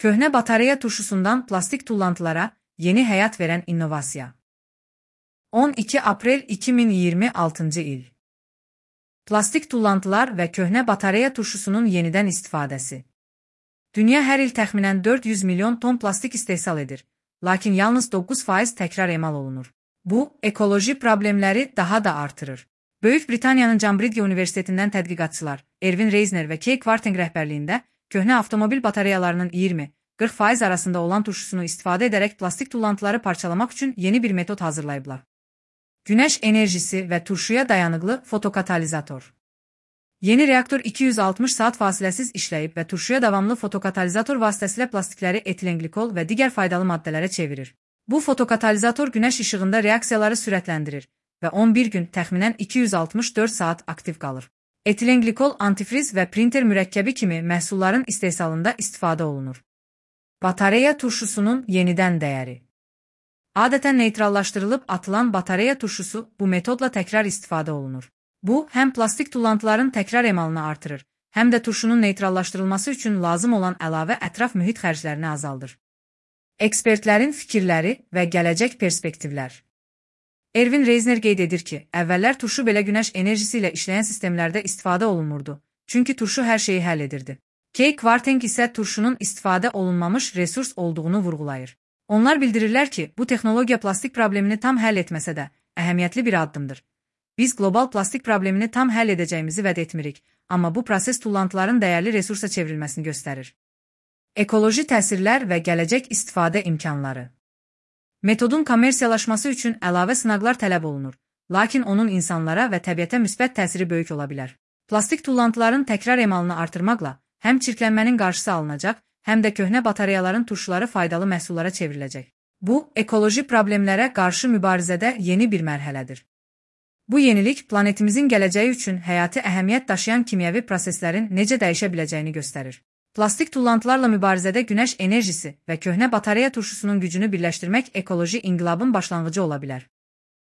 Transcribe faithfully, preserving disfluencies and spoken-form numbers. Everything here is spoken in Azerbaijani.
Köhnə batareya turşusundan plastik tullantılara yeni həyat verən innovasiya. on iki aprel iki min iyirmi altıncı il. Plastik tullantılar və köhnə batareya turşusunun yenidən istifadəsi. Dünya hər il təxminən dörd yüz milyon ton plastik istehsal edir, lakin yalnız doqquz faiz təkrar emal olunur. Bu, ekoloji problemləri daha da artırır. Böyük Britaniyanın Cambridge Universitetindən tədqiqatçılar Ervin Reisner və Kay Kwarteng rəhbərliyində köhnə avtomobil batareyalarının iyirmi qırx faiz arasında olan turşusunu istifadə edərək plastik tullantıları parçalamaq üçün yeni bir metod hazırlayıblar. Günəş enerjisi və turşuya dayanıqlı fotokatalizator. Yeni reaktor iki yüz altmış saat fasiləsiz işləyib və turşuya davamlı fotokatalizator vasitəsilə plastikləri etilenglikol və digər faydalı maddələrə çevirir. Bu fotokatalizator günəş işığında reaksiyaları sürətləndirir və on bir gün təxminən iki yüz altmış dörd saat aktiv qalır. Etilenglikol antifriz və printer mürəkkəbi kimi məhsulların istehsalında istifadə olunur. Batareya turşusunun yenidən dəyəri. Adətən neytrallaşdırılıb atılan batareya turşusu bu metodla təkrar istifadə olunur. Bu, həm plastik tullantıların təkrar emalını artırır, həm də turşunun neytrallaşdırılması üçün lazım olan əlavə ətraf mühit xərclərini azaldır. Ekspertlərin fikirləri və gələcək perspektivlər. Ervin Reisner qeyd edir ki, əvvəllər turşu belə günəş enerjisi ilə işləyən sistemlərdə istifadə olunmurdu, çünki turşu hər şeyi həll edirdi. Kay Kwarteng isə turşunun istifadə olunmamış resurs olduğunu vurğulayır. Onlar bildirirlər ki, bu texnologiya plastik problemini tam həll etməsə də, əhəmiyyətli bir addımdır. Biz qlobal plastik problemini tam həll edəcəyimizi vəd etmirik, amma bu proses tullantıların dəyərli resursa çevrilməsini göstərir. Ekoloji təsirlər və gələcək istifadə imkanları. Metodun kommersiyalaşması üçün əlavə sınaqlar tələb olunur, lakin onun insanlara və təbiətə müsbət təsiri böyük ola bilər. Plastik tullantıların təkrar emalını artırmaqla həm çirklənmənin qarşısı alınacaq, həm də köhnə batareyaların turşuları faydalı məhsullara çevriləcək. Bu, ekoloji problemlərə qarşı mübarizədə yeni bir mərhələdir. Bu yenilik planetimizin gələcəyi üçün həyati əhəmiyyət daşıyan kimyəvi proseslərin necə dəyişə biləcəyini göstərir. Plastik tullantılarla mübarizədə günəş enerjisi və köhnə batareya turşusunun gücünü birləşdirmək ekoloji inqilabın başlanğıcı ola bilər.